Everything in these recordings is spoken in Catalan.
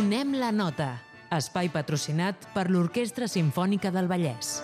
Donem la nota. Espai patrocinat per l'Orquestra Simfònica del Vallès.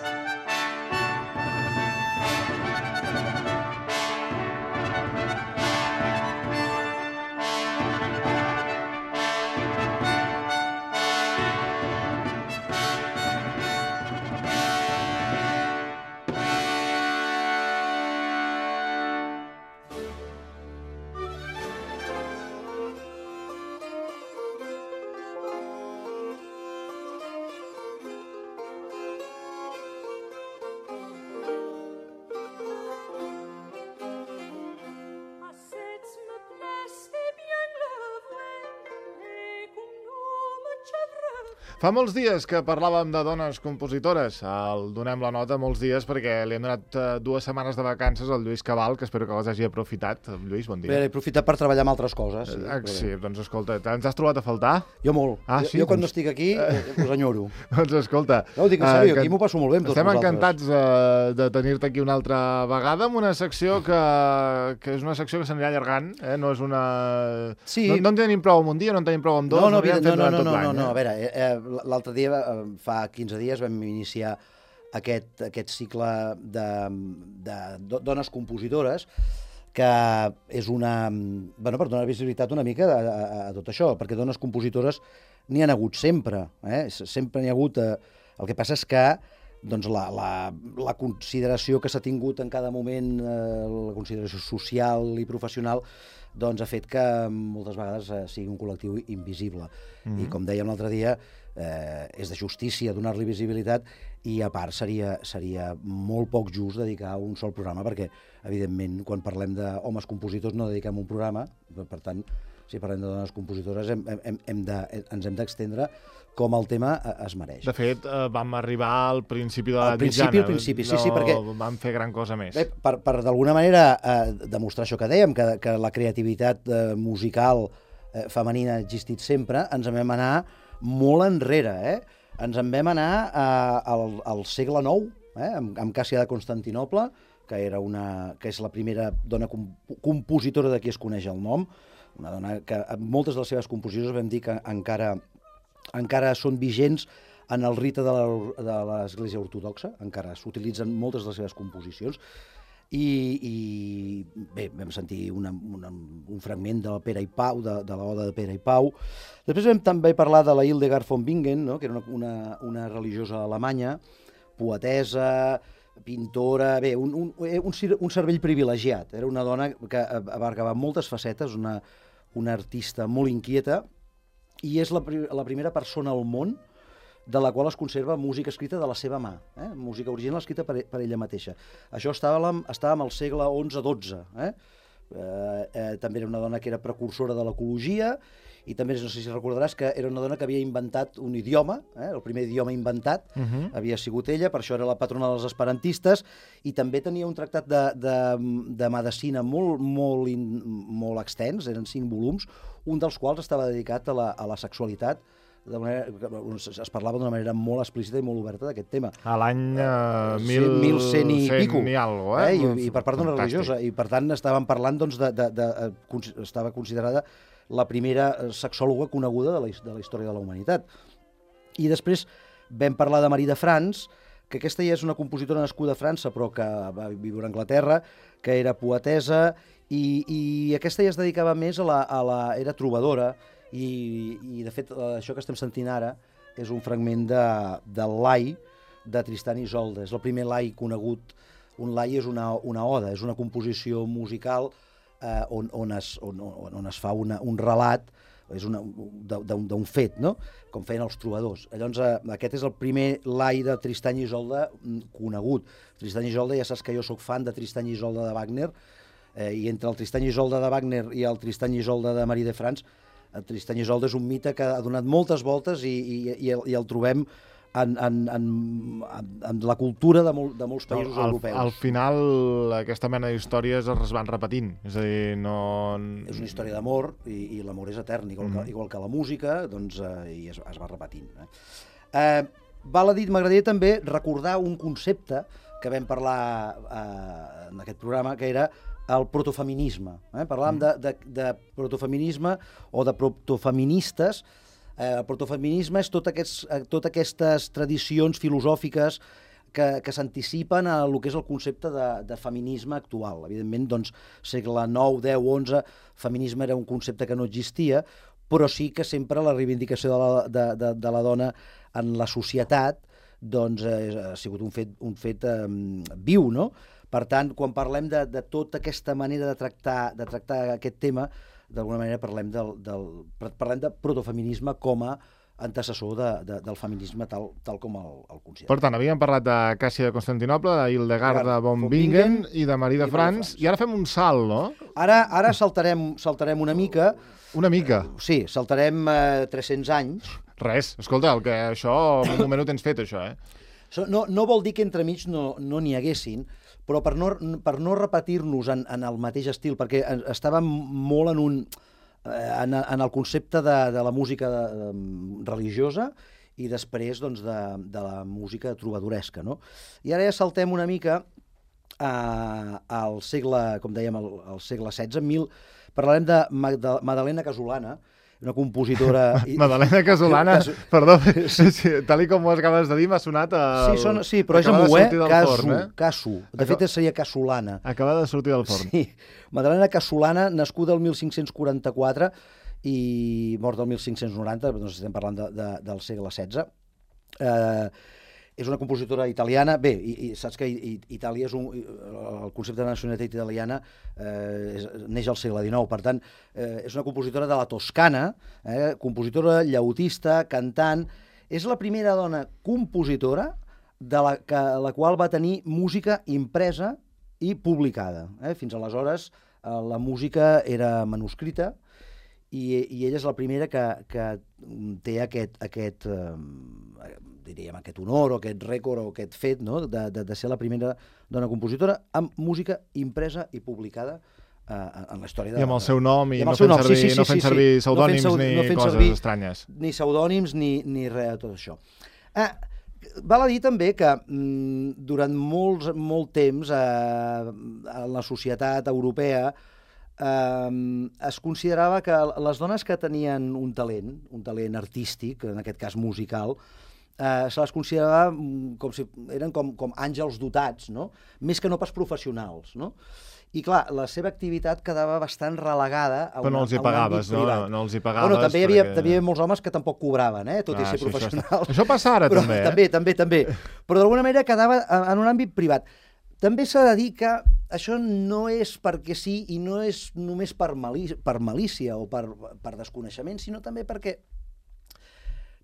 Fa molts dies que parlàvem de dones compositores. El Donem la nota molts dies perquè li hem donat 2 setmanes de vacances al Lluís Cabal, que espero que les hagi aprofitat. Lluís, bon dia. Bé, he aprofitat per treballar en altres coses. Sí, doncs escolta, ens has trobat a faltar? Jo molt. Sí? Jo quan no estic aquí us enyoro. Doncs escolta... No, ho dic en sèrio, aquí m'ho passo molt bé amb tots vosaltres. Estem encantats de tenir-te aquí una altra vegada amb una secció que és una secció que s'anirà allargant, no és una... Sí. No en tenim prou amb un dia, no en tenim prou amb 2, no, a veure, l'altre dia, fa 15 dies, vam iniciar aquest cicle de dones compositores, que és una... Bueno, per donar visibilitat una mica a tot això, perquè dones compositores n'hi ha hagut sempre, sempre n'hi ha hagut... El que passa és que doncs, la consideració que s'ha tingut en cada moment, la consideració social i professional, doncs ha fet que moltes vegades sigui un col·lectiu invisible. I com dèiem l'altre dia, és de justícia donar-li visibilitat i a part seria molt poc just dedicar un sol programa perquè, evidentment, quan parlem d'homes compositors no dediquem un programa, per tant, si parlem de dones compositores ens hem d'extendre com el tema es mereix. De fet, vam arribar al principi de l'edat mitjana. Al principi, sí, perquè... No vam fer gran cosa més. Bé, per d'alguna manera demostrar això que dèiem, que la creativitat musical femenina ha existit sempre, ens en vam anar molt enrere, Ens en vam anar al segle IX, amb Càssia de Constantinoble, que és la primera dona compositora de qui es coneix el nom, una dona que moltes de les seves composicions vam dir que encara són vigents en el rite de l'Església Ortodoxa, encara s'utilitzen moltes de les seves composicions, i bé, vam sentir un fragment de la Pere i Pau, de l'Oda de Pere i Pau. Després vam també parlar de la Hildegard von Bingen, que era una religiosa alemanya, poetesa, pintora, bé, un cervell privilegiat. Era una dona que abarcava moltes facetes, una artista molt inquieta, i és la primera persona al món de la qual es conserva música escrita de la seva mà, música original escrita per ella mateixa. Això estàvem al segle XI-XII. També era una dona que era precursora de l'ecologia i també, no sé si recordaràs, que era una dona que havia inventat un idioma, el primer idioma inventat havia sigut ella, per això era la patrona dels esperantistes, i també tenia un tractat de medicina molt extens, eren 5 volums, un dels quals estava dedicat a la sexualitat. Es parlava d'una manera molt explícita i molt oberta d'aquest tema. A l'any 1100 i pico. I algo, I per part d'una religiosa. I per tant estàvem parlant, doncs, estava considerada la primera sexòloga coneguda de la història de la humanitat. I després vam parlar de Marie de France, que aquesta ja és una compositora nascuda a França, però que va viure a Anglaterra, que era poetesa, i aquesta ja es dedicava més era trobadora, i de fet això que estem sentint ara és un fragment del Lai de Tristan i Isolde. És el primer Lai conegut. Un Lai és una oda, és una composició musical on es fa un relat d'un fet, no? Com feien els trobadors. Llavors aquest és el primer Lai de Tristan i Isolde conegut. Tristan i Isolde, ja saps que jo sóc fan de Tristan i Isolde de Wagner, i entre el Tristan i Isolde de Wagner i el Tristan i Isolde de Marie de France, el Tristan i Isolde és un mite que ha donat moltes voltes i el trobem en la cultura de molts països europeus. Al final, aquesta mena d'històries es van repetint. És a dir, no... És una història d'amor i l'amor és etern, igual que la música, doncs, i es va repetint. Val a dir, m'agradaria també recordar un concepte que vam parlar en aquest programa, que era el protofeminisme. Parlàvem de protofeminisme o de protofeministes El protofeminisme és totes aquestes tradicions filosòfiques que s'anticipen a el que és el concepte de feminisme actual. Evidentment, doncs, segle IX, X, XI, feminisme era un concepte que no existia, però sí que sempre la reivindicació de la dona en la societat doncs, ha sigut un fet viu, no? Per tant, quan parlem de tota aquesta manera de tractar aquest tema, d'alguna manera parlem de protofeminisme com a antecessor del feminisme tal com el considera. Per tant, havíem parlat de Càssia de Constantinople, d'Hildegarda von Bingen i de Marie de France, i ara fem un salt, no? Ara saltarem una mica. Una mica? Sí, saltarem 300 anys. Res, escolta, això, en un moment ho tens fet, això, No vol dir que entremig no n'hi haguessin, però per no repetir-nos en el mateix estil, perquè estàvem molt en el concepte de la música religiosa i després doncs, de la música trobadoresca, no? I ara ja saltem una mica al segle, com dèiem, al segle XVI. Parlarem de Madalena Casolana, una compositora... Madalena Casolana, perdó, tal com ho acabes de dir, m'ha sonat... Sí, però és amb U, Casu. De fet, seria Casolana. Acaba de sortir del forn. Sí, Madalena Casolana, nascuda el 1544 i mort el 1590, doncs estem parlant del segle XVI. És una compositora italiana. Bé, i saps que Itàlia el concepte de nacionalitat italiana neix al segle XIX. Per tant, és una compositora de la Toscana, compositora, llautista, cantant. És la primera dona compositora de la qual va tenir música impresa i publicada. Fins aleshores la música era manuscrita i ella és la primera que té aquest honor o aquest rècord o aquest fet, no? de ser la primera dona compositora amb música impresa i publicada en la història. I amb el seu nom i no fent servir pseudònims ni coses estranyes. Ni pseudònims ni res de tot això. Val a dir també que durant molt temps a la societat europea es considerava que les dones que tenien un talent artístic, en aquest cas musical, se les considerava com si eren com àngels dotats, no? Més que no pas professionals, no? I clar, la seva activitat quedava bastant relegada a un àmbit privat. Però no els hi pagaves, no? No els hi pagaves. Bueno, també hi havia molts homes que tampoc cobraven, tot i ser professionals. Això passa ara, també, També. Però d'alguna manera quedava en un àmbit privat. També s'ha de dir que això no és perquè sí i no és només per malícia o per desconeixement, sinó també perquè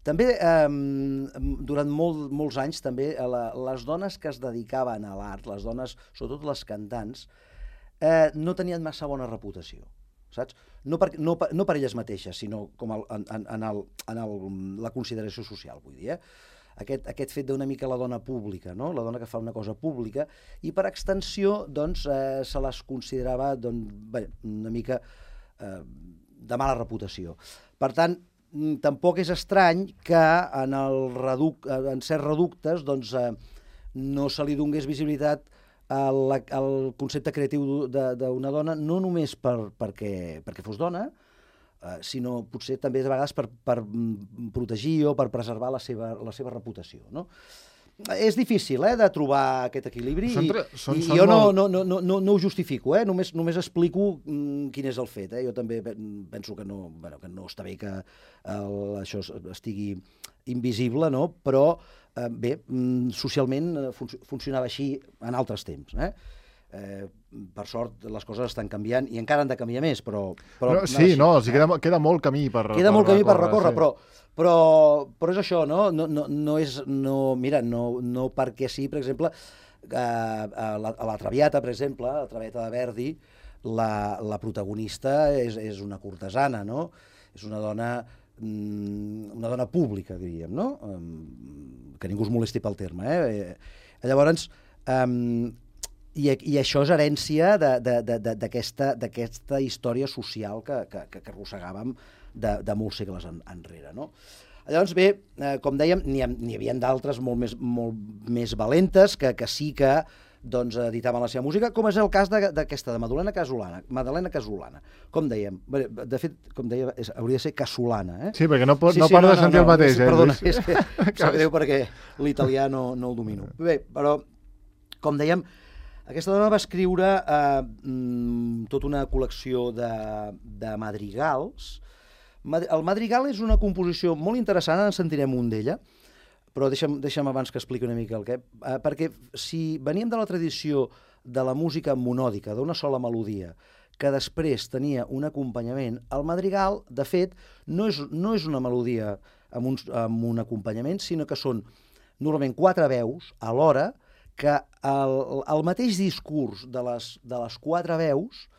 també durant molts anys també les dones que es dedicaven a l'art, les dones, sobretot les cantants, no tenien massa bona reputació, saps? No per elles mateixes, sinó com en la consideració social, vull dir, aquest fet d'una mica la dona pública, no? La dona que fa una cosa pública, i per extensió doncs, se les considerava una mica de mala reputació. Per tant, tampoc és estrany que en certs reductes doncs, no se li donés visibilitat al concepte creatiu d'una dona, no només perquè fos dona, sinó potser també de vegades per protegir o per preservar la seva reputació, no? És difícil de trobar aquest equilibri i jo no ho justifico, només explico quin és el fet. Jo també penso que no està bé que això estigui invisible, però bé, socialment funcionava així en altres temps. Per sort les coses estan canviant i encara han de canviar més, però sí, queda molt camí per recórrer. Queda molt camí per recórrer, però és això, no perquè sí, per exemple, a la Traviata, per exemple, la Traviata de Verdi, la protagonista és una cortesana, no? És una dona pública, diríem, no? Que ningú es molesti pel terme. Llavors, i això és herència d'aquesta història social que arrossegàvem de molts segles enrere, no? Llavors, bé, com dèiem, n'hi havia d'altres molt més valentes que sí que doncs, editaven la seva música, com és el cas d'aquesta, de Madalena Casolana. Com dèiem, de fet, com deia, hauria de ser Casolana. Sí, perquè no paro de sentir el mateix. Perdona, és que sap greu perquè l'italià no el domino. Bé, però, com dèiem, aquesta dona va escriure tota una col·lecció de madrigals. El madrigal és una composició molt interessant, en sentirem un d'ella, però deixa'm abans que expliqui una mica el què. Perquè si veníem de la tradició de la música monòdica, d'una sola melodia, que després tenia un acompanyament, el madrigal, de fet, no és una melodia amb un acompanyament, sinó que són normalment 4 veus alhora, que el mateix discurs de les 4 veus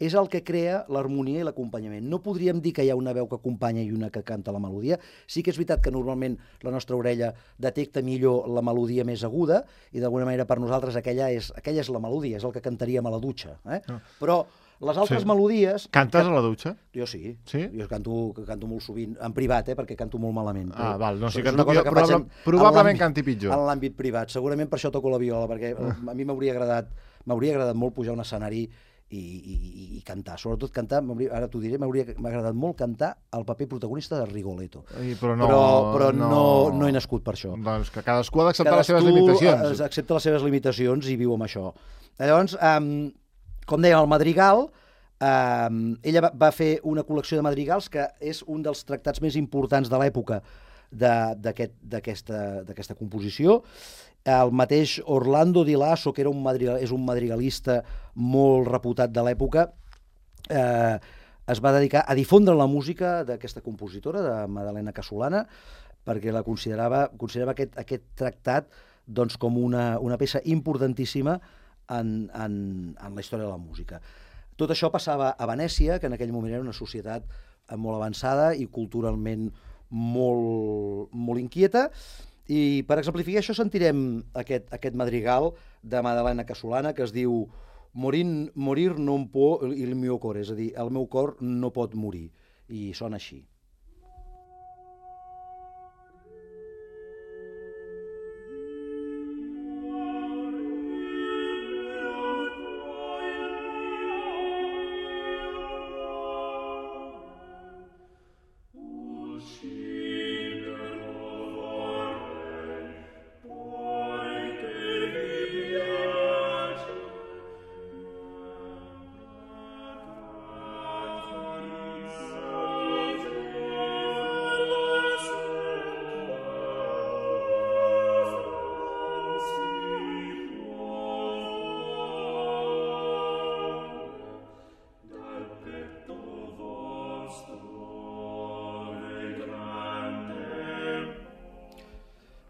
és el que crea l'harmonia i l'acompanyament. No podríem dir que hi ha una veu que acompanya i una que canta la melodia. Sí que és veritat que normalment la nostra orella detecta millor la melodia més aguda i d'alguna manera per nosaltres aquella és la melodia, és el que cantaríem a la dutxa. Però les altres melodies... Cantes a la dutxa? Jo sí. Sí? Jo canto molt sovint, en privat, perquè canto molt malament. Val, no sé, probablement canti pitjor. En l'àmbit privat. Segurament per això toco la viola, perquè a mi m'hauria agradat molt pujar a un escenari i cantar, sobretot cantar, ara t'ho diré, m'ha agradat molt cantar el paper protagonista de Rigoletto. Però no he nascut per això. Doncs que cadascú ha d'acceptar les seves limitacions. Cadascú accepta les seves limitacions i viu amb això. Llavors, com dèiem, el madrigal, ella va fer una col·lecció de madrigals que és un dels tractats més importants de l'època d'aquesta composició. El mateix Orlando Di Lasso, que és un madrigalista molt reputat de l'època, es va dedicar a difondre la música d'aquesta compositora, de Madalena Casolana, perquè la considerava aquest tractat doncs, com una peça importantíssima en la història de la música. Tot això passava a Venècia, que en aquell moment era una societat molt avançada i culturalment molt inquieta, i per exemplificar això sentirem aquest madrigal de Madalena Casolana que es diu Morir non può il mio cor, és a dir, el meu cor no pot morir, i sona així.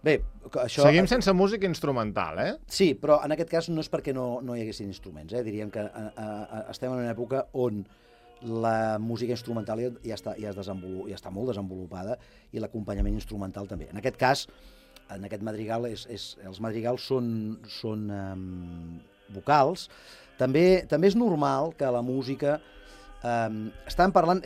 Bé, això... Seguim sense música instrumental, Sí, però en aquest cas no és perquè no hi haguessin instruments. Diríem que estem en una època on la música instrumental ja està molt desenvolupada i l'acompanyament instrumental també. En aquest cas, en aquest madrigal, els madrigals són vocals. També és normal que la música... estem parlant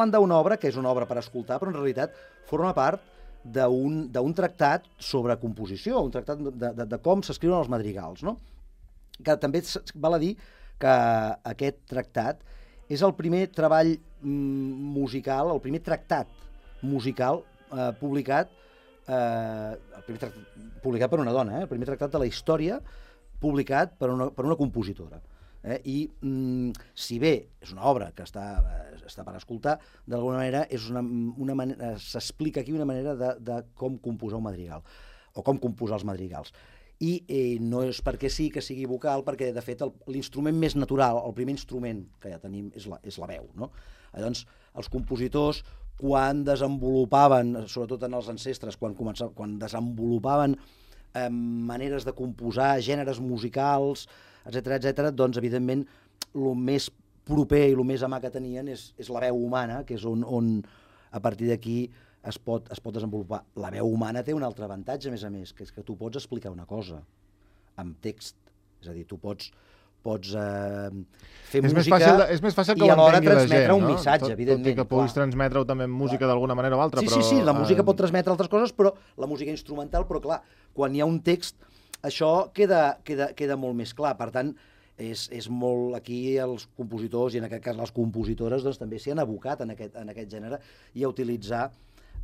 d'una obra que és una obra per escoltar, però en realitat forma part d'un tractat sobre composició, un tractat de com s'escriuen els madrigals, no? Que també val a dir que aquest tractat és el primer treball musical, el primer tractat musical publicat per una dona, el primer tractat de la història publicat per una compositora. I si bé és una obra que està per escoltar, d'alguna manera s'explica aquí una manera de com composar un madrigal, o com composar els madrigals. I no és perquè sí que sigui vocal, perquè de fet l'instrument més natural, el primer instrument que ja tenim és la veu, no? Llavors, els compositors, quan desenvolupaven, sobretot en els ancestres, quan desenvolupaven maneres de composar, gèneres musicals, etc., doncs, evidentment, el més proper i el més a mà que tenien és la veu humana, que és on a partir d'aquí es pot desenvolupar. La veu humana té un altre avantatge, a més, que és que tu pots explicar una cosa amb text. És a dir, tu pots fer música és més fàcil que i alhora l'entengui la gent, transmetre un no? missatge, evidentment. Tot i que puguis transmetre-ho també en música d'alguna manera o altra. Sí, la música pot transmetre altres coses, però la música instrumental, però clar, quan hi ha un text això queda molt més clar. Per tant, és molt... Aquí els compositors, i en aquest cas les compositores, doncs també s'hi han abocat en aquest gènere i a utilitzar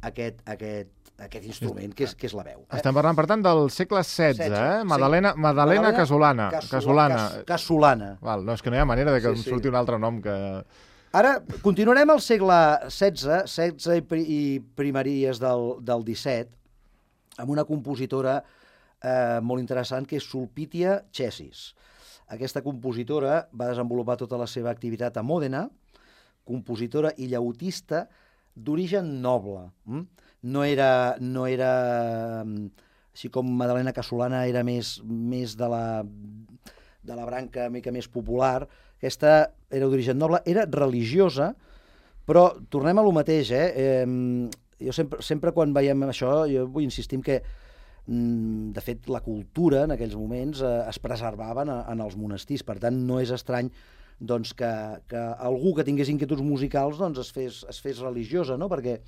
aquest instrument, que és la veu. Estem parlant, per tant, del segle XVI, eh? Madalena Casolana. Casolana. No, és que no hi ha manera de que em surti un altre nom que... Ara, continuarem al segle XVI i primeries del XVII, amb una compositora molt interessant, que és Sulpitia Cessis. Aquesta compositora va desenvolupar tota la seva activitat a Mòdena, compositora i llautista d'origen noble. No era així com Madalena Casolana era més de la branca mica més popular. Aquesta era d'origen noble, era religiosa, però tornem a lo mateix, jo sempre quan veiem això, jo vull insistir que de fet la cultura en aquells moments es preservava en els monestirs, per tant no és estrany doncs, que algú que tingués inquietuds musicals doncs, es fes religiosa, no? Perquè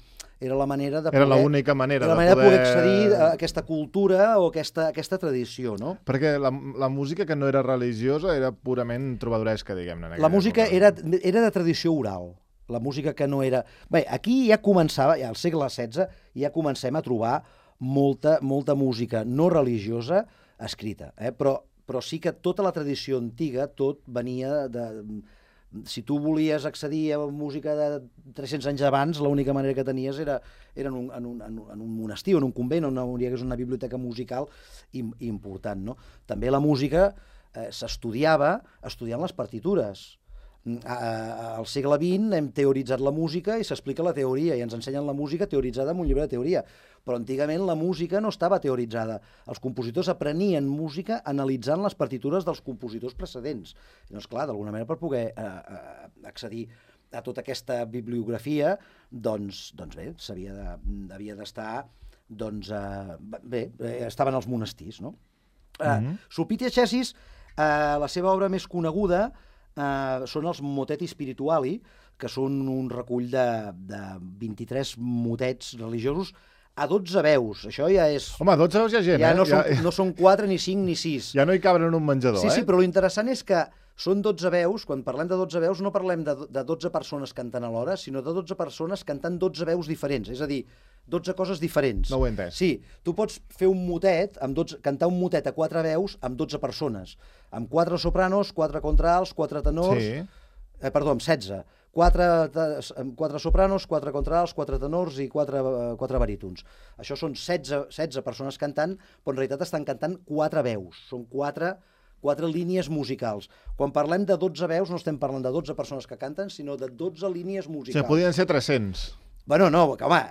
era la manera de poder... Era l'única manera de poder accedir a aquesta cultura o aquesta tradició, no? Perquè la música que no era religiosa era purament trobadoresca, diguem-ne. La música era de tradició oral. La música que no era... Bé, aquí ja començava, al segle XVI, ja comencem a trobar molta música no religiosa escrita, però sí que tota la tradició antiga, tot venia de... Si tu volies accedir a música de 300 anys abans, l'única manera que tenies era en un monestir, en un convent, on hi hagués una biblioteca musical important, no? També la música s'estudiava estudiant les partitures. Al segle XX hem teoritzat la música i s'explica la teoria, i ens ensenyen la música teoritzada en un llibre de teoria. Però antigament la música no estava teoritzada. Els compositors aprenien música analitzant les partitures dels compositors precedents. I doncs, clar, d'alguna manera, per poder accedir a tota aquesta bibliografia, doncs bé, havia d'estar... estaven als monestirs, no? Sulpitia Cessis, la seva obra més coneguda són els Moteti Spirituali, que són un recull de 23 motets religiosos a 12 veus. Això ja és... Home, 12 veus hi ha gent, no són 4, ni 5, ni 6. Ja no hi caben en un menjador, Sí, però l'interessant és que són 12 veus, quan parlem de 12 veus no parlem de 12 persones cantant alhora, sinó de 12 persones cantant 12 veus diferents, és a dir, 12 coses diferents. No ho he entès. Sí, tu pots fer un motet, cantar un motet a 4 veus amb 12 persones, amb 4 sopranos, 4 contralts, 4 tenors... Sí. Perdó, amb 16. 4 sopranos, 4 contralts, 4 tenors i 4 barítons. Això són 16 persones cantant, però en realitat estan cantant 4 veus. Són 4 línies musicals. Quan parlem de 12 veus no estem parlant de 12 persones que canten, sinó de 12 línies musicals. O sigui, podien ser 300. Bueno, no, home,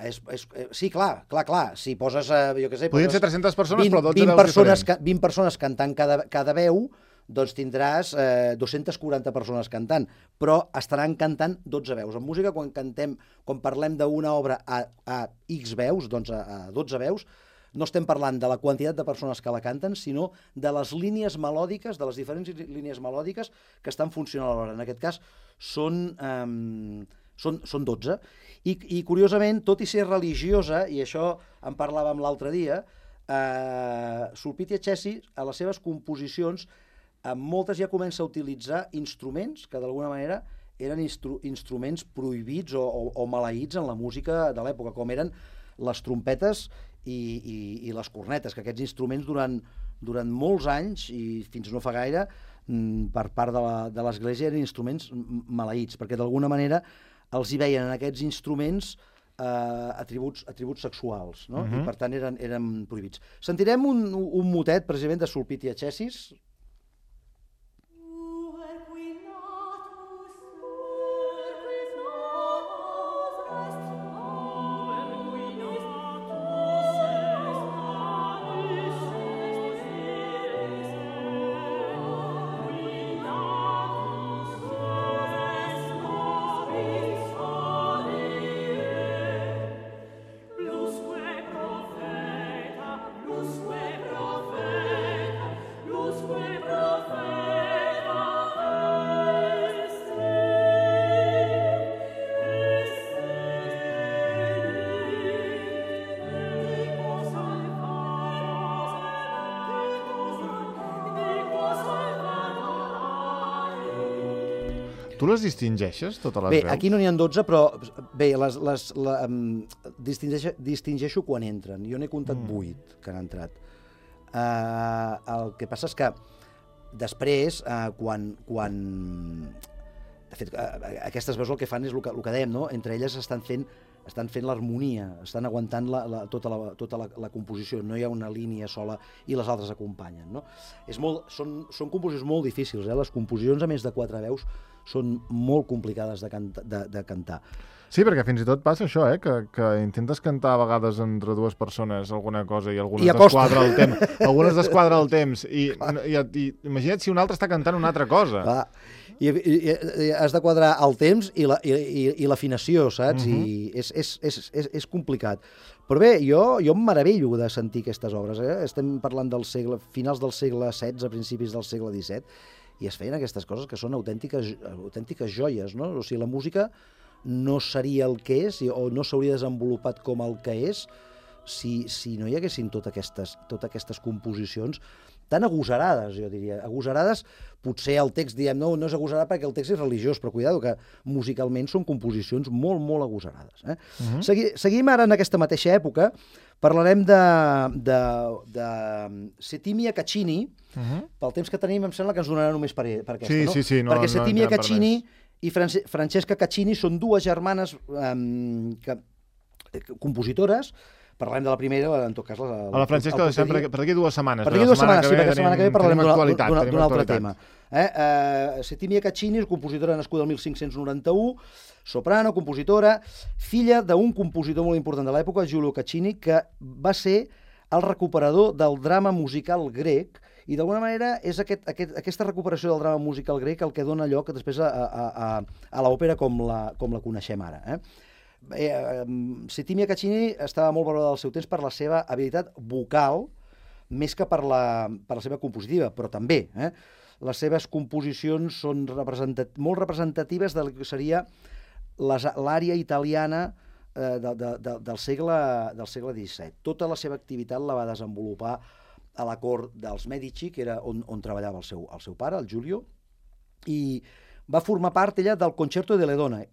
sí, clar. Si poses, jo què sé... Podien ser 300 persones, però 12 veus diferents. 20 persones cantant cada veu, doncs tindràs 240 persones cantant, però estaran cantant 12 veus. En música, quan parlem d'una obra a X veus, doncs a 12 veus, no estem parlant de la quantitat de persones que la canten, sinó de les línies melòdiques, de les diferents línies melòdiques que estan funcionant alhora. En aquest cas, són 12. I curiosament, tot i ser religiosa, i això en parlàvem l'altre dia, Sulpitia Cessis, a les seves composicions, en moltes ja comença a utilitzar instruments que d'alguna manera eren instruments prohibits o maleïts en la música de l'època, com eren les trompetes i les cornetes, que aquests instruments durant molts anys, i fins no fa gaire, per part de l'Església eren instruments maleïts, perquè d'alguna manera els hi veien en aquests instruments atributs sexuals, no? I per tant eren prohibits. Sentirem un motet precisament de Sulpitia Cessis. Lusque Tu les distingeixes, totes les Bé, veus? aquí no n'hi ha 12, però bé, distingeixo quan entren. Jo n'he comptat 8 que han entrat. El que passa és que després, de fet, aquestes veus el que fan és el que dèiem, no? Entre elles estan fent l'harmonia, estan aguantant tota la composició, no hi ha una línia sola i les altres acompanyen, no? Són composicions molt difícils, les composicions a més de 4 veus són molt complicades de cantar. Sí, perquè fins i tot passa això, que intentes cantar a vegades entre dues persones alguna cosa i algunes desquadra el temps. I imagina't si un altre està cantant una altra cosa. Clar. I has de quadrar el temps i l'afinació, saps? I és complicat. Però bé, jo em meravello de sentir aquestes obres. Estem parlant finals del segle XVI, principis del segle XVII, i es feien aquestes coses que són autèntiques joies, no? O sigui, la música no seria el que és o no s'hauria desenvolupat com el que és si no hi haguessin totes aquestes composicions tan agosarades, jo diria. Agosarades, potser el text, diem, no és agosarat perquè el text és religiós, però cuidado, que musicalment són composicions molt, molt agosarades. Seguim ara en aquesta mateixa època, parlarem de Settimia Caccini, pel temps que tenim em sembla que ens donarà només per aquesta, no? Sí, perquè Settimia Caccini i Francesca Caccini són dues germanes compositores. Parlem de la primera, en tot cas... A la Francesca deixem per d'aquí 2 setmanes. Per d'aquí 2 setmanes, sí, perquè la setmana que ve parlarem d'un altre tema. Settimia Caccini és compositora nascuda el 1591, soprano, compositora, filla d'un compositor molt important de l'època, Giulio Caccini, que va ser el recuperador del drama musical grec, i d'alguna manera és aquesta recuperació del drama musical grec el que dona lloc després a l'òpera com la coneixem ara. Settimia Caccini estava molt valorada al seu temps per la seva habilitat vocal, més que per la seva compositiva, però també. Les seves composicions són molt representatives del que seria l'ària italiana del segle XVII. Tota la seva activitat la va desenvolupar a la cort dels Medici, que era on treballava el seu pare, el Giulio, i va formar part ella del Concerto de Ledone,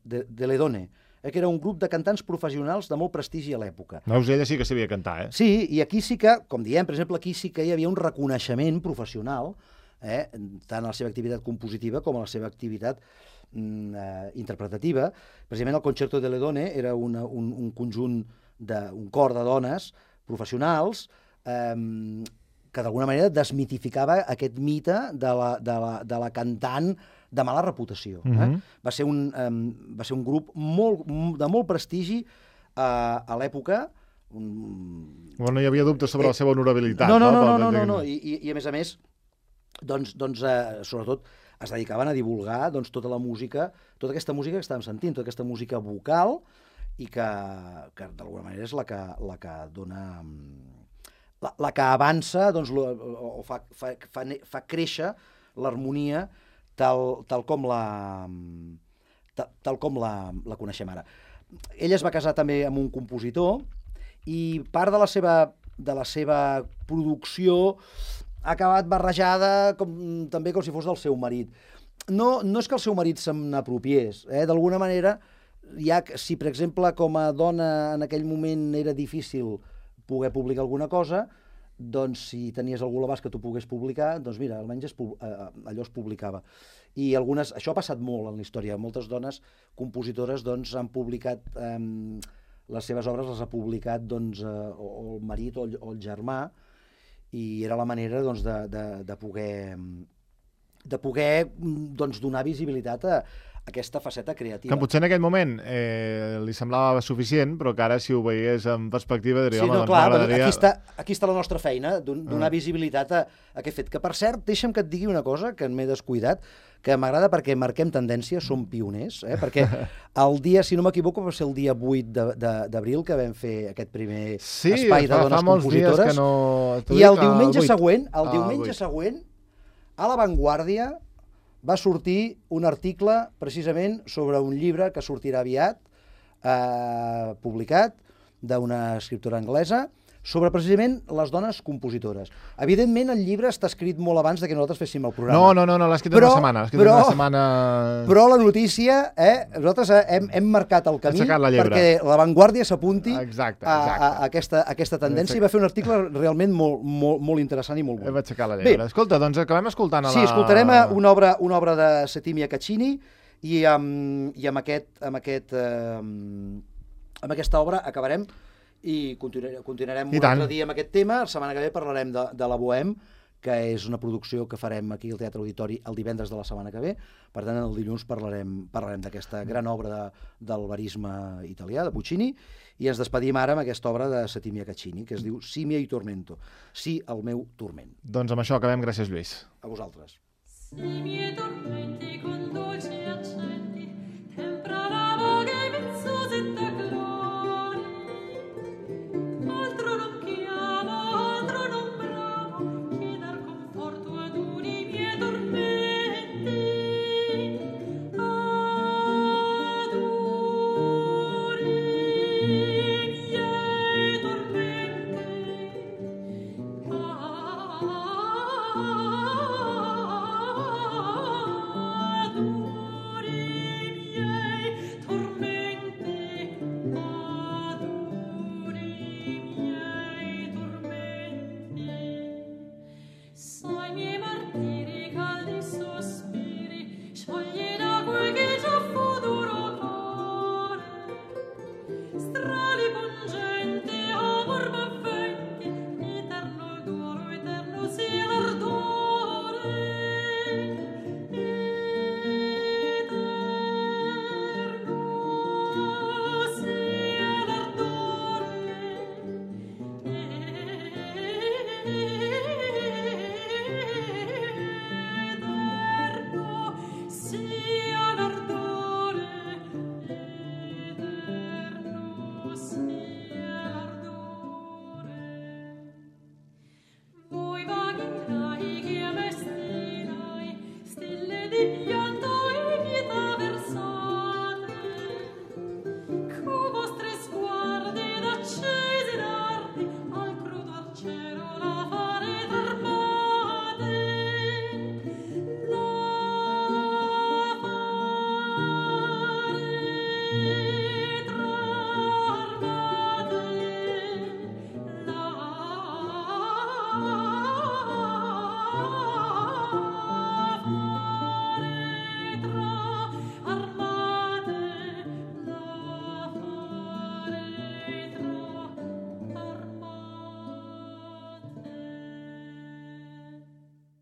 que era un grup de cantants professionals de molt prestigi a l'època. Veus, ella sí que sabia cantar, Sí, i aquí sí que, com diem, per exemple, aquí sí que hi havia un reconeixement professional, tant a la seva activitat compositiva com a la seva activitat interpretativa. Precisament el Concerto de Ledone era un conjunt, un cor de dones professionals que d'alguna manera desmitificava aquest mite de la cantant de mala reputació. Va ser un grup de molt prestigi a l'època. No hi havia dubtes sobre la seva honorabilitat. No. I a més, sobretot es dedicaven a divulgar tota la música, tota aquesta música que estàvem sentint, tota aquesta música vocal, i que d'alguna manera és la que dona... la que avança o fa créixer l'harmonia tal com la coneixem ara. Ella es va casar també amb un compositor i part de la seva producció ha acabat barrejada també com si fos del seu marit. No és que el seu marit se n'apropiés, d'alguna manera, si per exemple com a dona en aquell moment era difícil poder publicar alguna cosa, doncs si tenies algú a l'abast que tu pogués publicar, doncs mira, almenys allò es publicava. I això ha passat molt en la història. Moltes dones compositores han publicat les seves obres, les ha publicat o el marit o el germà, i era la manera de poder donar visibilitat a aquesta faceta creativa. Que potser en aquell moment li semblava suficient, però que ara si ho veiés en perspectiva diria, home, doncs m'agradaria... Aquí està la nostra feina, donar visibilitat a aquest fet. Que per cert, deixa'm que et digui una cosa que m'he descuidat, que m'agrada perquè marquem tendència, som pioners, perquè el dia, si no m'equivoco, va ser el dia 8 d'abril que vam fer aquest primer espai de dones compositores. I el diumenge següent, a La Vanguardia, va sortir un article precisament sobre un llibre que sortirà aviat, publicat, d'una escriptora anglesa, sobre precisament les dones compositores. Evidentment, el llibre està escrit molt abans de que nosaltres féssim el programa. No, l'ha escrit una setmana. Però la notícia, nosaltres hem marcat el camí perquè La Vanguardia s'apunti a aquesta tendència i va fer un article realment molt interessant i molt bo. Hem aixecat la llebre. Escolta, doncs acabem escoltant Sí, escoltarem una obra de Settimia Caccini i amb aquesta obra acabarem i continuarem un altre dia amb aquest tema. La setmana que ve parlarem de la Bohème, que és una producció que farem aquí al Teatre Auditori el divendres de la setmana que ve. Per tant, el dilluns parlarem d'aquesta gran obra del verisme italià, de Puccini, i ens despedim ara amb aquesta obra de Settimia Caccini, que es diu Si miei tormento, sí, el meu turment. Doncs amb això acabem. Gràcies, Lluís. A vosaltres. Si miei tormenti con dolci accenti, tempra la voga e vezzosetta gloria. Altro non chiamo, altro non bramo, che dar conforto ad uni miei tormenti. Ad uni miei Sai miei martiri, caldi sospiri, sciogli l'acque che già fu duro core. Strali pungenti, amor m'avventi, eterno il d'oro, eterno sia l'ardore. Eterno sia l'ardore. Sia l'ardore, eterno sia l'ardore. Voi vaghi che a me stilai, stelle di pianto